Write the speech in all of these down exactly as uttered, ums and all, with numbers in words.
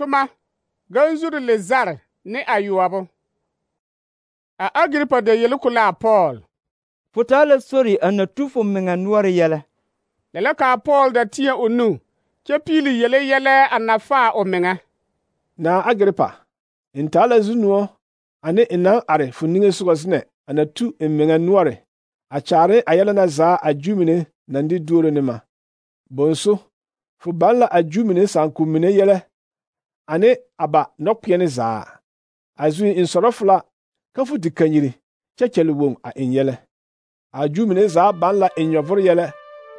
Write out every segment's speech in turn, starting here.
Toma, ganzuri le zare ne ayoɔbo. A Agripa da yeli ko la a Paul. Fo taa la sori a na tu fo meŋa noɔre yɛlɛ. Lɛ la kaa Paul da teɛ o nu, kyɛ piili yele yɛlɛ a na faa o meŋa. Na Agripa, n taa la zu-noɔ ane n naŋ are fo niŋesogɔ zenɛ a na tu n meŋa noɔre a kyaare a yɛlɛ na zaa a Juu mine naŋ de duoro ne ma. Bonso, fo baŋ la a Juu mine sããkom mine yɛlɛ ane a ba nɔkpeɛne zaa. A zuŋ n sɔrɔ fo la ka fo te kanyiri kyɛ kyɛle woŋ a eŋ yɛlɛ. A Juu mine zaa baŋ la n nyɔvore yɛlɛ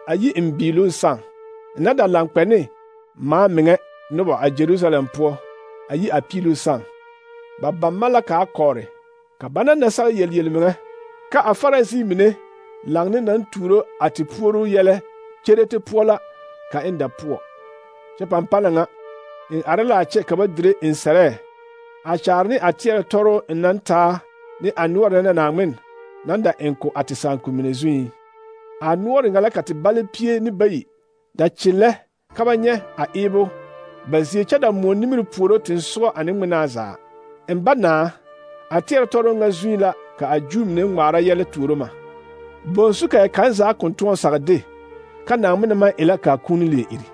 a yi n biiloŋ sãã, n na da laŋ kpɛ ne maa meŋɛ noba a Jerusalem poɔ a yi a piiluu sãã. Ba baŋ ma la kaa kɔɔre, ka ba na nasag yel yelmeŋɛ, ka a Farisi mine laŋ ne naŋ tuuro a te puoruu yɛlɛ kyerete poɔ la ka n da poɔ. Kyɛ pampana ŋa, n are la a kyɛ ka ba dire n sɛrɛɛ, a kyaare ne a teɛrɛ tɔrɔ n naŋ taa ne a noɔre na Naaŋmen naŋ da eŋ ko a te sããkom mine zuŋ. A noɔre ŋa la ka te bale pie ne bayi da kyellɛ ka ba nyɛ a eebo ba zie kyɛ da moɔ nimiri puoro tensogɔ ane ŋmenaa zaa. N ba naa, a teɛrɛ tɔrɔ ŋa zuŋ la ka a Juu mine ŋmaara yɛlɛ tuuro ma. Bonsu ka kaŋ zaa kõn tõɔ sag de, ka Naaŋmen maŋ e la kaa kũuni leɛ iri.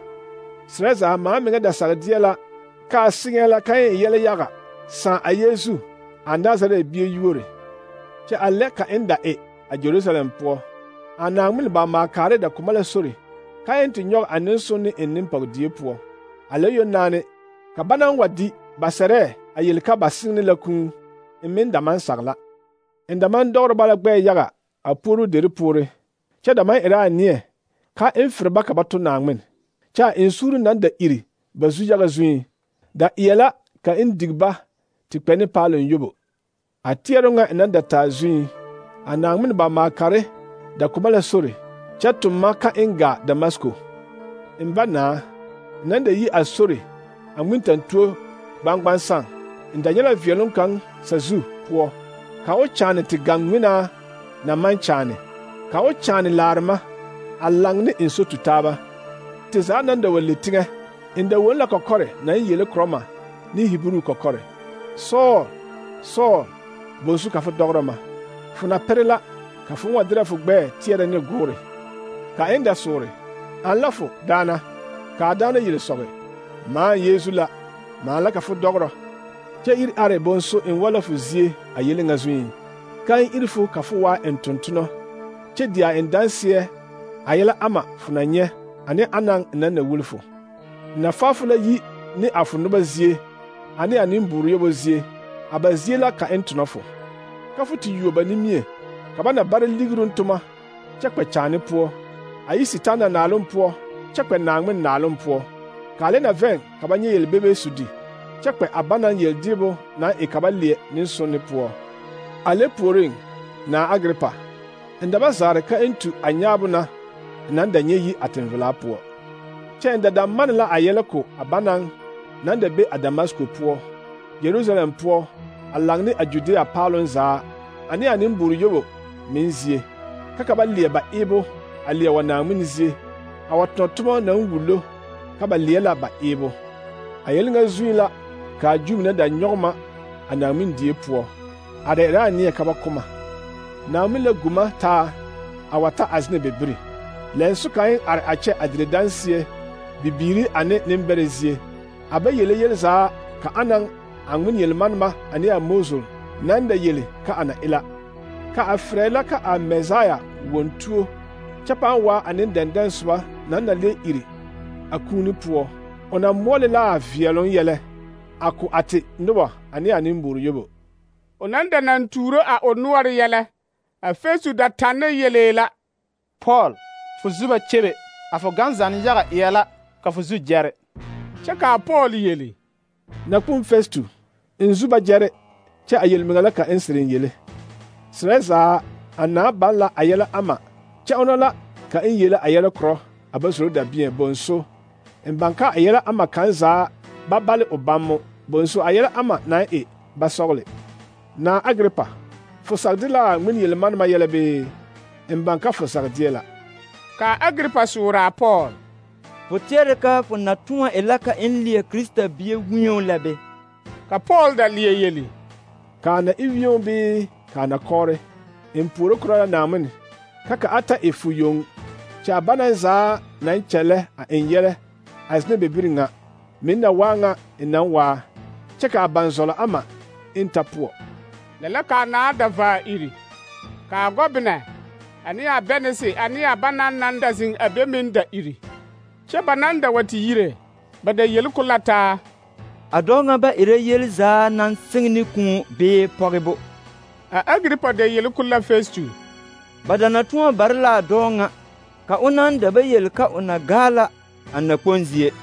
Serɛ zaa maa meŋɛ da sag deɛ la ka a seŋɛɛ la ka n e yɛlɛ yaga sãã a Yeesu, a Nazaret bie yuore. Kyɛ a lɛ ka n da e a Jerusalem poɔ. A Naaŋmen ba maakaare da koma la sori, ka n te nyɔge a nensonne eŋ nempɔgedie poɔ. A lɛ yonaane, ka ba naŋ wa di ba sɛrɛɛ a yeli ka ba seŋ ne la kũu, n meŋ da maŋ sag la. N da maŋ dɔgre ba la gbɛɛ yaga a puoruu deri poore, kyɛ da maŋ erɛ a neɛ ka n fere ba ka ba to Naaŋmen, kyɛ a eŋ suuri naŋ da iri ba zu-yaga zuŋ, da eɛ la ka n dig ba te kpɛ ne paaloŋ yobo. A teɛro ŋa n naŋ da taa zuŋ, a Naaŋmen ba maakare da koma la sori, kyɛ tʋm ma ka n gaa Damasko. N ba naa, n naŋ da yi a sori a ŋmentantuo gbaŋgbaŋ sãã, n da nyɛ la veɛloŋ kaŋ sazu poɔ, ka o kyaane te gaŋ ŋmenaa na maŋ kyaane, ka o kyaane laarema a laŋ ne n so tu taaba. Te zaa naŋ da wa le teŋɛ, n da won la kɔkɔre naŋ yele korɔ ma ne Hibru kɔkɔre: Sɔɔl, Sɔɔl, bonsu ka fo dɔgrɔ ma. Fo na pere la ka fo wa derɛ fo gbɛɛ teɛrɛ ne goore. Ka n da soore: An la fo, daana? Ka a daana yele sɔge: Maa Yeesu la, maa la ka fo dɔgrɔ. Kyɛ iri are bonso n wa la fo zie a yele ŋa zuŋ, ka n iri fo ka fo waa n tontonɔ, kyɛ di a n danseɛ a yɛlɛ ama fo na nyɛ ane anaŋ n naŋ na wuli fo. N na faa fo la yi ne a fo noba zie ane a nembuuru yobo zie, a ba zie la ka n tonɔ fo. Ka fo te yuo ba nimie, ka ba na bare ligirun toma kyɛ kpɛ kyaane poɔ, a yi Sitaana naaloŋ poɔ kyɛ kpɛ Naaŋmen naaloŋ poɔ, ka a lɛ na vɛŋ ka ba nyɛ yelbebe sudi, kyɛ kpɛ a ba naŋ yeldeebo naŋ e ka ba leɛ nensonne poɔ. A lɛ puoriŋ, na Agripa, n da ba zaare ka n tu a nyaabo na n naŋ da nyɛ yi a tenvelaa poɔ. Kyɛ n da da mane la a yɛlɛ ko a ba naŋ naŋ da be a Damasko poɔ, Jerusalem poɔ, a laŋ ne a Judea paaloŋ zaa ane a nembuuru yobo meŋ zie, ka ka ba leɛ ba eebo a leɛ wa Naaŋmen zie, a wa tõ toma naŋ wullo ka ba leɛ la ba eebo. A yɛlɛ ŋa zuŋ la ka a Juu mine da nyɔge ma a Naaŋmen die poɔ, a da erɛ a neɛ ka ba koma. Naaŋmen la gu ma taa a wa ta a zenɛ bebiri. Lɛnso ka n are a kyɛ a dire danseɛ, bibiiri ane nembɛrɛ zie, a ba yele yel zaa ka anaŋ a ŋmen yelmanema ane a Mosul naŋ da yele ka a na e la, ka a frɛ la ka a Mesaya won tuo, kyɛ pãã waa a nendɛndɛŋ soba naŋ na leɛ iri a kũuni poɔ. O na moɔle la a veɛloŋ yɛlɛ a ko a te noba ane a nembuuru yobo. O naŋ da naŋ tuuro a o noɔre yɛlɛ, a Festu da tanne yelee la: Paul, fo zu ba kyebe, a fo ganzanne yaga eɛ la ka fo zu gyɛre. Kyɛ kaa Paul yele: Nakpom Festu, n zu ba gyɛre, kyɛ a yelmeŋa la ka n sereŋ yele. Serɛ zaa, a naa baŋ la a yɛlɛ ama, kyɛ ona la ka n yele a yɛlɛ korɔ a ba zoro dabiɛŋ bonso, n baŋ ka a yɛlɛ ama kaŋ zaa ba bale o bammo, bonso a yɛlɛ ama naŋ e ba sɔgle. Na Agripa, fo sagde la a ŋmen yelmanema yɛlɛ bee? N baŋ ka fo sagdeɛ la. Ka Agripa soora a Paul: fo tɛɛre ka fo na tõɔ e la ka n leɛ Krista bie wĩo la be? Ka Paul da leɛ yeli: Kaa na e wĩo bee kaa na kɔɔre, n puoro korɔ la Naawuni, ka ka a ta e fu yoŋ, kyɛ a banaŋ zaa naŋ kyɛllɛ a eŋ yɛlɛ a zenɛ be biri ŋa, meŋ na waa ŋa n naŋ waa, kyɛ ka a baŋ zɔlɔ ama n ta poɔ. Lɛ la kaa naa da vaa iri, kaa gɔbenɛ ane a bɛnese ane a banaŋ naŋ da zeŋ a be meŋ da iri. Kyɛ ba naŋ da wa te yire, ba da yeli ko la taa: A dɔɔ ŋa ba erɛ yeli zaa naŋ seŋ ne kũũ bee pɔgebo. A Agiripa da yeli ko la Festu. Ba da na tõɔ bare la a dɔɔ ŋa ka o naŋ da ba yeli ka o na gaa la a nakpoŋ zie.